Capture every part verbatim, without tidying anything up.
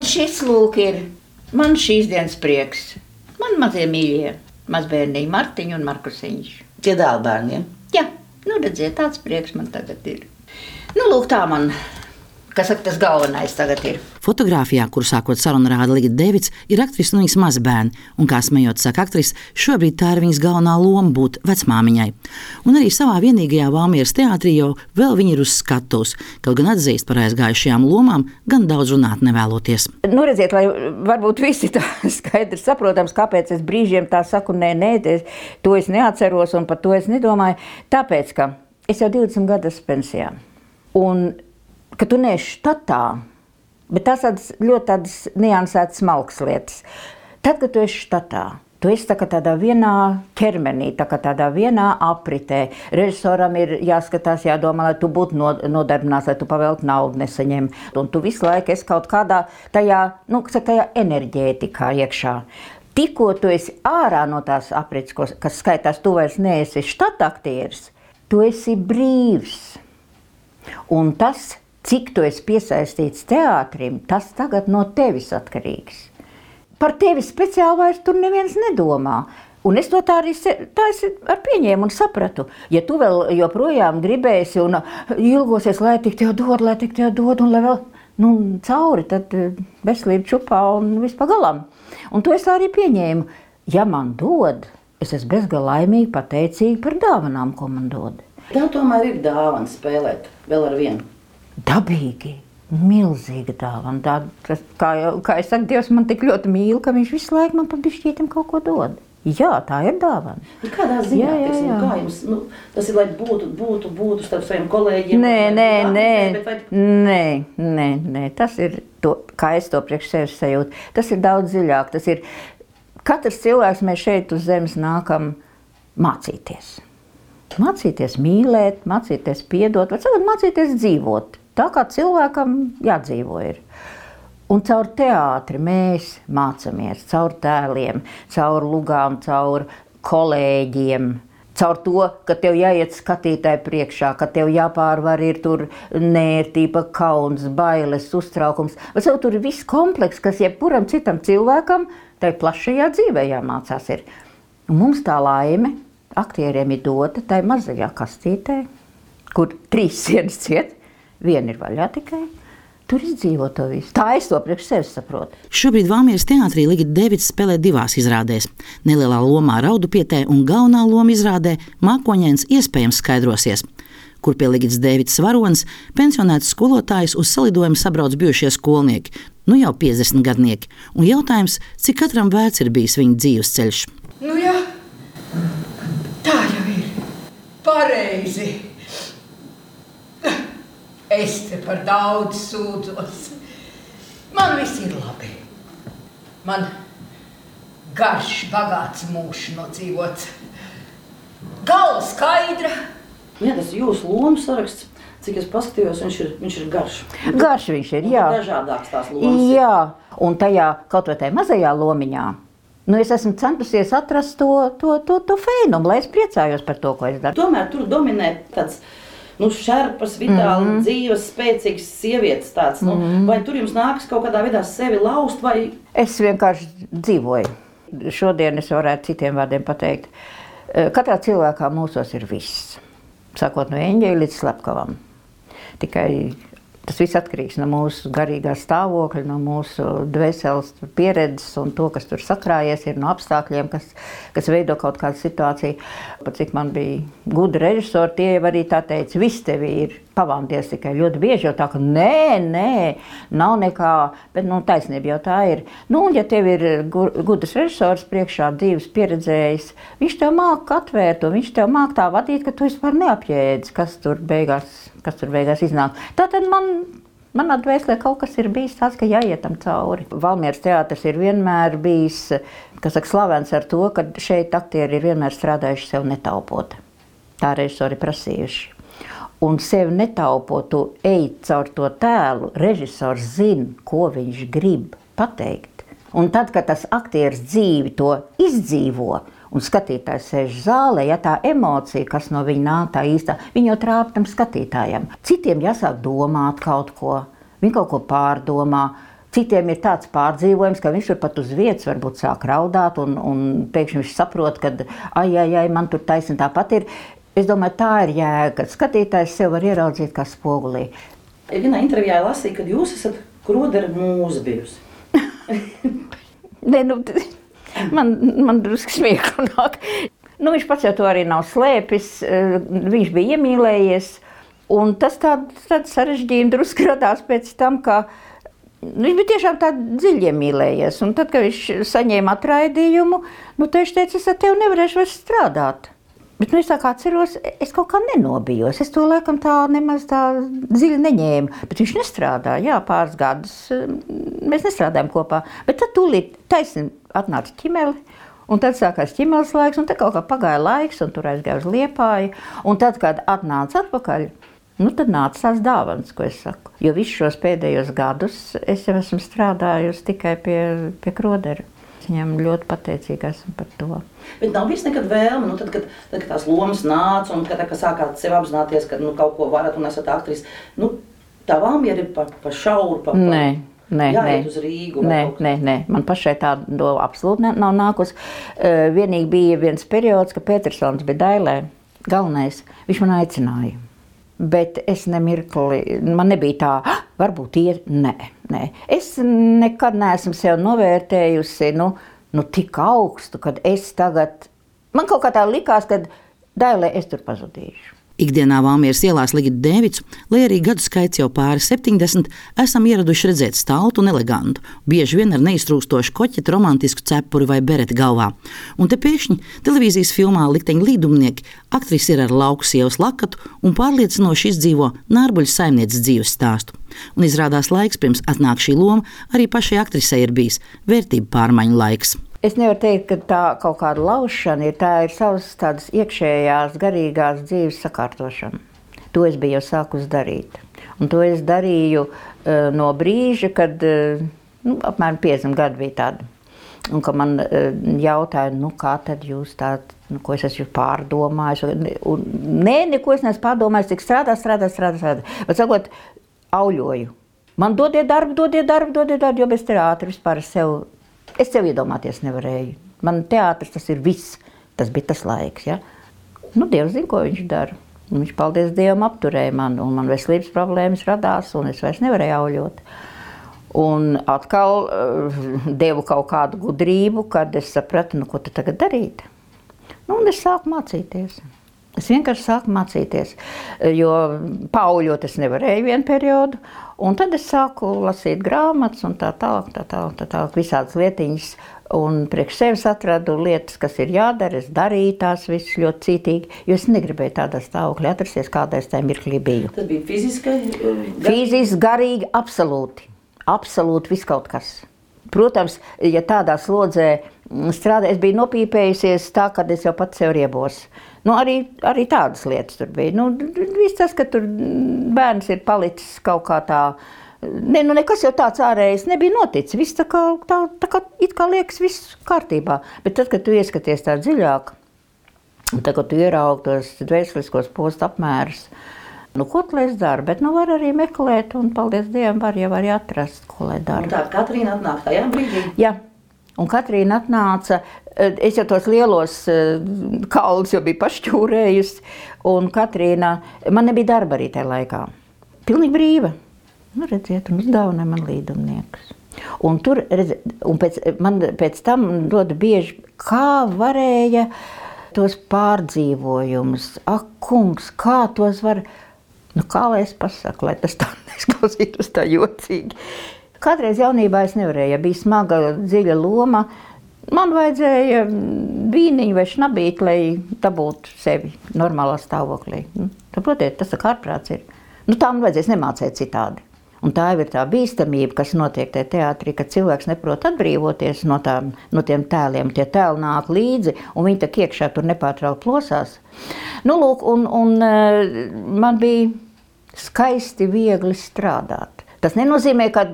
šis lūk ir man šīs dienas prieks. Man mazie mīļie, mazbērniņi Martiņu un Markusiņš. Tie dēlbērniem? Jā, nu redziet, tāds prieks man tagad ir. Nu lūk, tā man, kas saka, tas galvenais tagad ir. Fotogrāfijā, kur sākot sarunu rāda Ligita Devits, ir aktrise un viņas mazbērni, un, kā smējot saka aktrise, šobrīd tā ir viņas galvenā loma būt vecmāmiņai. Un arī savā vienīgajā Valmieras teātrī jau vēl viņa ir uz skatuves, kaut gan atzīst par aizgājušajām lomām, gan daudz runāt nevēloties. Nu redziet, lai varbūt visi tā skaidrs saprotams, kāpēc es brīžiem tā saku, nē, nē, to es neatceros un par to es nedomāju, tāpēc, ka es jau divdesmit gadus pensijā. Un, ka tu neesi štatā, bet tās tādas ļoti tādas niansētas smalkas lietas. Tad, kad tu esi štatā, tu esi tā kā tādā vienā ķermenī, tā kā tādā vienā apritē. Režisoram ir jāskatās, jādomā, lai tu būtu nodarbināts, lai tu pavēlt naudu nesaņem. Un tu visu laiku esi kaut kādā tajā, nu, tajā enerģētikā iekšā. Tikko tu esi ārā no tās aprits, kas skaitās, tu vairs neesi štataktieris, tu esi brīvs. Un tas, cik tu esi piesaistīts teātrim, tas tagad no tevis atkarīgs. Par tevi speciāli vairs tur neviens nedomā. Un es to tā arī tā es ar pieņēmu un sapratu. Ja tu vēl joprojām gribēsi un ilgosies, lai tik tev dod, lai tik tev dod un lai vēl nu, cauri, tad veselība čupā un viss pagalam. Un to es tā arī pieņēmu. Ja man dod, es esmu bezgalīgi laimīgi pateicīgi par dāvanām, ko man dod. Tā tomēr ir dāvana spēlēt vēl ar vienu. Dabīgi, milzīga dāvana. Tā, tas, kā, jau, kā es saku, Dievs man tik ļoti mīl, ka viņš visu laiku man pa bišķītim kaut ko dod. Jā, tā ir dāvana. Kādā ziņā, jā, jā, jā. Kā jums, nu, tas ir, lai būtu, būtu, būtu starp saviem kolēģiem? Nē, nē, nē, vai... nē, nē, nē, tas ir, to, kā es to priekš sevis sajūtu, tas ir daudz dziļāk. Tas ir, katrs cilvēks mēs šeit uz zemes nākam mācīties. Mācīties mīlēt, mācīties piedot, vai cilvēki mācīties dzīvot. Tā kā cilvēkam jādzīvo ir. Un caur teātri mēs mācāmies, caur tēliem, caur lugām, caur kolēģiem, caur to, ka tev jāiet skatītāji priekšā, ka tev jāpārvar ir tur nērtība, kauns, bailes, uztraukums. Vai caur tur ir viss kompleks, kas jebkuram citam cilvēkam tai plašajā dzīvē jāmācās ir. Un mums tā laime aktieriem ir dota tai mazajā kastītē, kur trīs sienas ciet, viena ir vaļā tikai. Tur izdzīvo to visu. Tā es to priekš sevis saprotu. Šobrīd Valmieras teātrī Ligita Devits spēlē divās izrādēs. Nelielā lomā Raudupietē un galvenā loma izrādē Mākoņains iespējams skaidrosies, kur pie Ligitas Devits varonas pensionēts skolotājs uz salidojumu sabrauc bijušie skolnieki, nu jau piecdesmit gadnieki, un jautājums, cik katram vērts ir bijis viņa dzīves ceļš. Nu jā, tā jau ir. Pareizi. Es te par daudz sūdzos. Man viss ir labi. Man garš, bagāts mūžs nodzīvots. Galva skaidra. Jā, tas ir jūsu lomu saraksts. Cik es paskatījos, viņš ir, viņš ir garš. Garš viņš ir, jā. Dažādāks tās lomas. Jā, un tajā kaut vai tajā mazajā lomiņā, nu es esmu centusies atrast to, to, to, to feinumu, lai es priecājos par to, ko es daru. Tomēr tur dominē tāds nu, šerpas, vitāli, mm-hmm. dzīves, spēcīgas sievietes tāds. Nu, mm-hmm. Vai tur jums nākas kaut kādā veidā sevi laust? Vai... Es vienkārši dzīvoju. Šodien es varētu citiem vārdiem pateikt. Katrā cilvēkā mūsos ir viss. Sākot no eņģeļa līdz slepkavam. Tikai tas viss atkarīgs no mūsu garīgā stāvokļa, no mūsu dvēseles pieredzes un to, kas tur sakrājies, ir no apstākļiem, kas, kas veido kaut kādu situāciju. Pat cik man bija gudri režisori, tie jau arī tā teica, viss tevi ir pavāmties tikai ļoti bieži jau tā, ka nē, nē, nav nekā, bet nu, taisnība jau tā ir. Nu, un ja tev ir gudrs režisors priekšā dzīves pieredzējis, viņš tev māk atvērt un viņš tev māk tā vadīt, ka tu vispār neapjēdzi, kas tur beigās, kas tur beigās iznāk. Tātad man, manā dvēselē kaut kas ir bijis tāds, ka jāietam cauri. Valmieras teātris ir vienmēr bijis, kas saka, slavens ar to, ka šeit aktieri ir vienmēr strādājuši sev netaupot. Tā režisori prasījuši. Un sevi netaupot, tu ej caur to tēlu, režisors zina, ko viņš grib pateikt. Un tad, kad tas aktieris dzīvi to izdzīvo, un skatītājs sēž zālē, ja tā emocija, kas no viņa nāk tā īstā, viņa jau trāp tam skatītājam. Citiem jāsāk domāt kaut ko, viņi kaut ko pārdomā, Citiem ir tāds pārdzīvojums, ka viņš tur pat uz vietas varbūt sāk raudāt, un, un pēkšņi viņš saprot, ka ai, ai, ai, man tur taisni tāpat ir. Es domāju, tā ir jēga, kad skatītājs sev var ieraudzīt kā spogulī. Vienā intervijā lasīju, ka jūs esat Krodera mūze bijusi. Nē, nu, man, man drusku smieku nāk. Nu, viņš pats jau to arī nav slēpis, viņš bija iemīlējies, un tas tāds tād sarežģījumi drusku radās pēc tam, ka viņš bija tiešām tā dziļi iemīlējies, un tad, kad viņš saņēma atraidījumu, nu, viņš teica, es ar tevi nevarēšu vairs strādāt. Bet, nu, es tā kā atceros, es kaut kā nenobijos. Es to laikam tā nemaz tā dziļi neņēmu. Bet viņš nestrādāja, jā, pāris gadus. Mēs nestrādājam kopā. Bet tad tūlīt taisni atnāca ķimeli, un tad sākās ķimeles laiks, un tad kaut kā pagāja laiks, un tur aizgāja uz Liepāju. Un tad, kad atnāca atpakaļ, nu, tad nāca tās dāvanas, ko es saku. Jo visus šos pēdējos gadus es jau esmu strādājusi tikai pie, pie Krodera. Viņam ļoti pateicīga esmu par to. Bet nav bijis nekad vēlme, nu, tad, kad, tad, kad tās lomas nāca un kad, kad sākāt sev apzināties, ka nu, kaut ko varat un esat aktris, nu, tā valmiera ir pa, pa šauru, pa, pa nē, nē, jāiet nē. uz Rīgu. Nē, nē, nē, man pašai tāda absolūti ne, nav nākus. Uh, vienīgi bija viens periods, ka Petersons bija Dailē, galvenais, viņš man aicināja. Bet es nemirkli, man nebija tā, ah, varbūt ir, nē, nē. Es nekad neesmu sev novērtējusi, nu, nu tik augstu, kad es tagad, man kaut kā tā likās, kad Dailē es tur pazudīšu. Ikdienā Valmieras ielās Ligitu Dēvicu, lai arī gadu skaits jau pāri septiņdesmit, esam ieraduši redzēt staltu un elegantu, bieži vien ar neiztrūkstošu koķetu, romantisku cepuri vai bereti galvā. Un te pēkšņi televīzijas filmā Likteņu līdumnieki aktrise ir ar lauku sievas lakatu un pārliecinoši izdzīvo Nārbuļu saimnieces dzīves stāstu. Un izrādās laiks, pirms atnāk šī loma, arī pašai aktrisei ir bijis vērtību pārmaiņu laiks. Es nevaru teikt, ka tā kaut kāda laušana ir, tā ir savas tādas iekšējās, garīgās dzīves sakārtošana. To es biju jau sākus darīt. Un to es darīju uh, no brīža, kad uh, nu, apmēram piecdesmit gadi bija tādi. Un ka man uh, jautāja, nu kā tad jūs tā, nu, ko es esmu pārdomājis. Un, nē, neko es neesmu pārdomājis, tik strādā, strādā, strādā, strādā. Bet sakot, auļoju. Man dodiet darbu, dodiet darbu, dodiet darbu, jo bez teātra vispār sev... Es sev iedomāties nevarēju. Man teātris tas ir viss. Tas bija tas laiks, ja? Nu, Dievs zina, ko viņš dara. Un viņš, paldies Dievam, apturēja man, un man veselības problēmas radās, un es vairs nevarēju auļot. Un atkal uh, devu kaut kādu gudrību, kad es sapratu, nu, ko tu tagad darīt. Nu, un es sāku mācīties. Es vienkārši sāku mācīties, jo paauļot es nevarēju vienu periodu, un tad es sāku lasīt grāmatas un tā tālāk, tā tālāk, tā tālāk, visādas lietiņas, un priekš sevis atradu lietas, kas ir jādara, es darīju tās visas ļoti cītīgi, jo es negribēju tādā stāvoklī atrasties, kādā es tajā mirklī biju. Tas bija fiziski? Fiziski, garīgi, absolūti, absolūti viss kaut kas. Protams, ja tādā slodzē strādā, es biju nopīpējusies tā, kad es jau pats sev riebos. Nu, arī, arī tādas lietas tur bija. Nu, viss tas, ka tur bērns ir palicis kaut kā tā, ne, nu nekas jau tāds ārējais nebija noticis. Viss tā kā, tā, tā kā, it kā liekas viss kārtībā. Bet tad, kad tu ieskaties tā dziļāk, un tad, kad tu ieraugi tos dvēseliskos postu apmērus, nu, ko tu lai es daru? Bet nu var arī meklēt, un paldies Dievam, var jau arī atrast, ko lai daru. Un tā Katrīna atnāk tajā brīdī? Jā. Un Katrīna atnāca, es jau tos lielos kaulus jau biju pašķūrējusi, un Katrīna, man nebija darba arī tajā laikā. Pilnīgi brīva. Nu, redziet, un uzdāvināja man līdumniekus. Un tur, redziet, un pēc, man pēc tam dod bieži, kā varēja tos pārdzīvojumus, ak, kungs, kā tos var, nu, kā lai es pasaku, lai tas tā neizklausītos tā jocīgi. Kādreiz jaunībā es nevarēju, ja bija smaga, dziļa loma. Man vajadzēja vīniņu vai šnabīt, lai dabūtu sevi normālā stāvoklī. Nu, saprotiet, tas tā kā ārprāts ir. Nu, tā man vajadzēs nemācēt citādi. Un tā jau ir tā bīstamība, kas notiek tajā teātrī, kad cilvēks neprot atbrīvoties no, tā, no tiem tēliem. Tie tēli nāk līdzi, un viņi tak iekšā tur nepārtraukt plosās. Nu, lūk, un, un man bija skaisti viegli strādāt. Tas nenozīmē, ka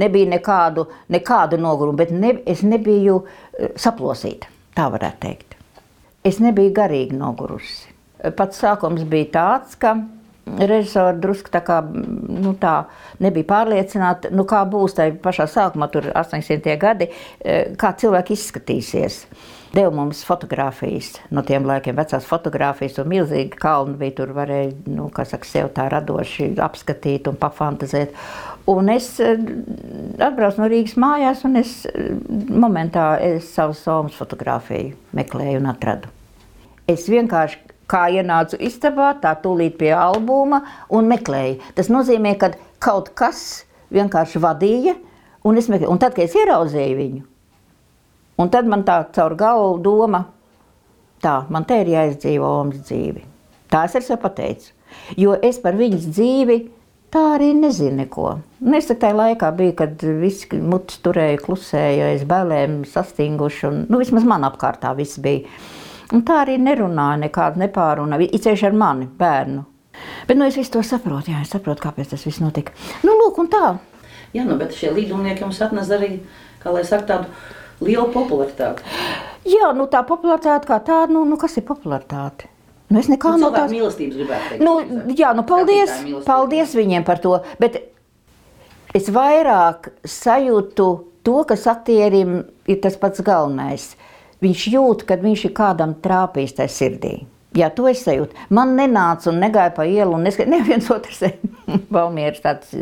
nebija nekādu, nekādu nogurumu, bet ne, es nebiju saplosīta, tā varētu teikt. Es nebiju garīgi nogurusi. Pats sākums bija tāds, ka režisori drusku tā kā, nu tā, nebija pārliecināti, nu kā būs tajā pašā sākumā, tur astoņdesmitie gadi, kā cilvēki izskatīsies. Deva mums fotogrāfijas no tiem laikiem, vecās fotogrāfijas, un milzīgi kalni bija, tur varēja, nu, kā saka, sev tā radoši apskatīt un pafantazēt. Un es atbraucu no Rīgas mājās, un es momentā es savu Somas fotogrāfiju meklēju un atradu. Es vienkārši kā ienācu istabā, tā tūlīt pie albuma un meklēju. Tas nozīmē, ka kaut kas vienkārši vadīja, un es meklēju. Un tad, kad es ieraudzīju viņu, un tad man tā caur galvu doma, tā, man te ir jāizdzīvo Omas dzīvi. Tā es ar sev pateicu. Jo es par viņas dzīvi tā arī nezinu neko. Un es tajā laikā biju, kad visi mutis turēja, klusēja, es bailēm sastinguši, un, nu, vismaz man apkārtā viss bija. Un tā arī nerunāja, nekādu nepārunāja, īpaši ar mani, bērnu. Bet, nu, es visu to saprotu, jā, es saprotu, kāpēc tas viss notika. Nu, lūk, un tā. Jā, nu, bet šie līdumnieki jums atnes arī, kā lai saka, tādu lielu popularitāti. Jā, nu, tā popularitāte kā tāda, nu, nu kas ir popularitāte? Nu, es nekā nu, no tās... mīlestības gribētu teikt. Nu, jā, nu, paldies, paldies viņiem par to, bet es vairāk sajūtu to, kas aktierim ir tas pats galvenais. Viņš jūt, kad viņš ir kādam trāpījis tajā sirdī. Jā, to es sajūtu. Man nenāca un negāja pa ielu un neskat... Neviens otrs Valmieris tāds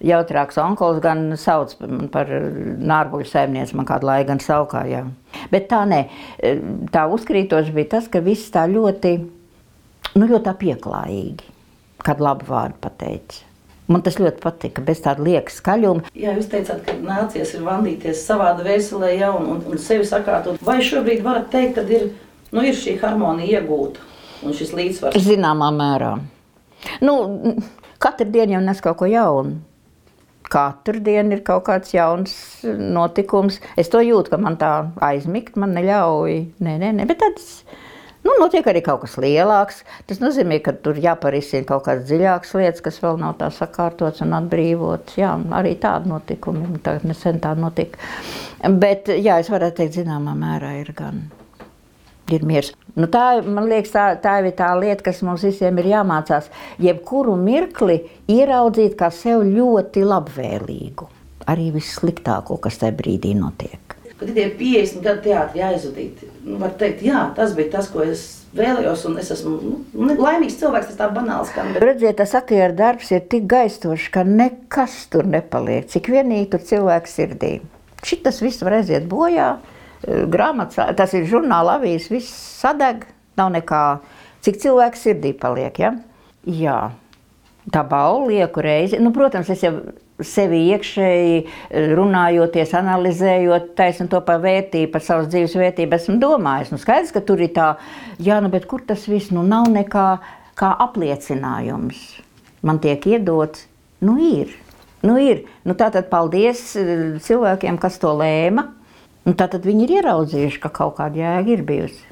jautrāks onkols gan sauc par Nārbuļu saimnieci, man kādu laiku gan saukā, jā. Bet tā nē, tā uzkrītoši bija tas, ka viss tā ļoti, nu ļoti tā pieklājīgi, kādu labu vārdu pateica. Man tas ļoti patika, bez tāda lieka skaļuma. Jā, jūs teicāt, ka nācies ir vandīties savā dvēselē, ja, un, un, un sevi sakārtot. Vai šobrīd varat teikt, ka ir, nu, ir šī harmonija iegūta un šis līdzsvars? Zināmā mērā. Nu, katru dienu jau nes kaut ko jaunu. Katru dienu ir kaut kāds jauns notikums. Es to jūtu, ka man tā aizmigt, man neļauj. Nē, nē, nē, bet tāds... Nu, notiek arī kaut kas lielāks. Tas nozīmē, ka tur jāparisina kaut kādas dziļākas lietas, kas vēl nav tā sakārtotas un atbrīvotas. Jā, arī tādi notikumi. Tagad nesen tā notika. Bet, jā, es varētu teikt, zināmā mērā ir gan. Ir miers. Nu, tā, man liekas, tā, tā ir tā lieta, kas mums visiem ir jāmācās. Jebkuru mirkli ieraudzīt kā sev ļoti labvēlīgu. Arī vissliktāko, kas tajā brīdī notiek. Kad ir piecdesmit gadu teātri jāizvadīt, nu, var teikt, jā, tas bija tas, ko es vēlējos, un es esmu nu, laimīgs cilvēks, tas tā banāls skan. Bet... Redziet, tas aktieru darbs ir tik gaistošs, ka nekas tur nepaliek, cik vienīgi tur cilvēks sirdī. Šitas viss var aiziet bojā, grāmatas, tas ir žurnāla avīzes, viss sadeg, nav nekā, cik cilvēks sirdī paliek, ja? Jā, tā balva lieku reizi, nu, protams, es jau sevi iekšēji runājoties, analizējot taisnu to par vērtību, par savas dzīves vērtību, esmu domājis. Nu, skaidrs, ka tur ir tā, jā, nu, bet kur tas viss, nu, nav nekā kā apliecinājums. Man tiek iedots, nu, ir, nu, ir. Nu, tātad paldies cilvēkiem, kas to lēma, un tātad viņi ir ieraudzījuši, ka kaut kāda jēga ir bijusi.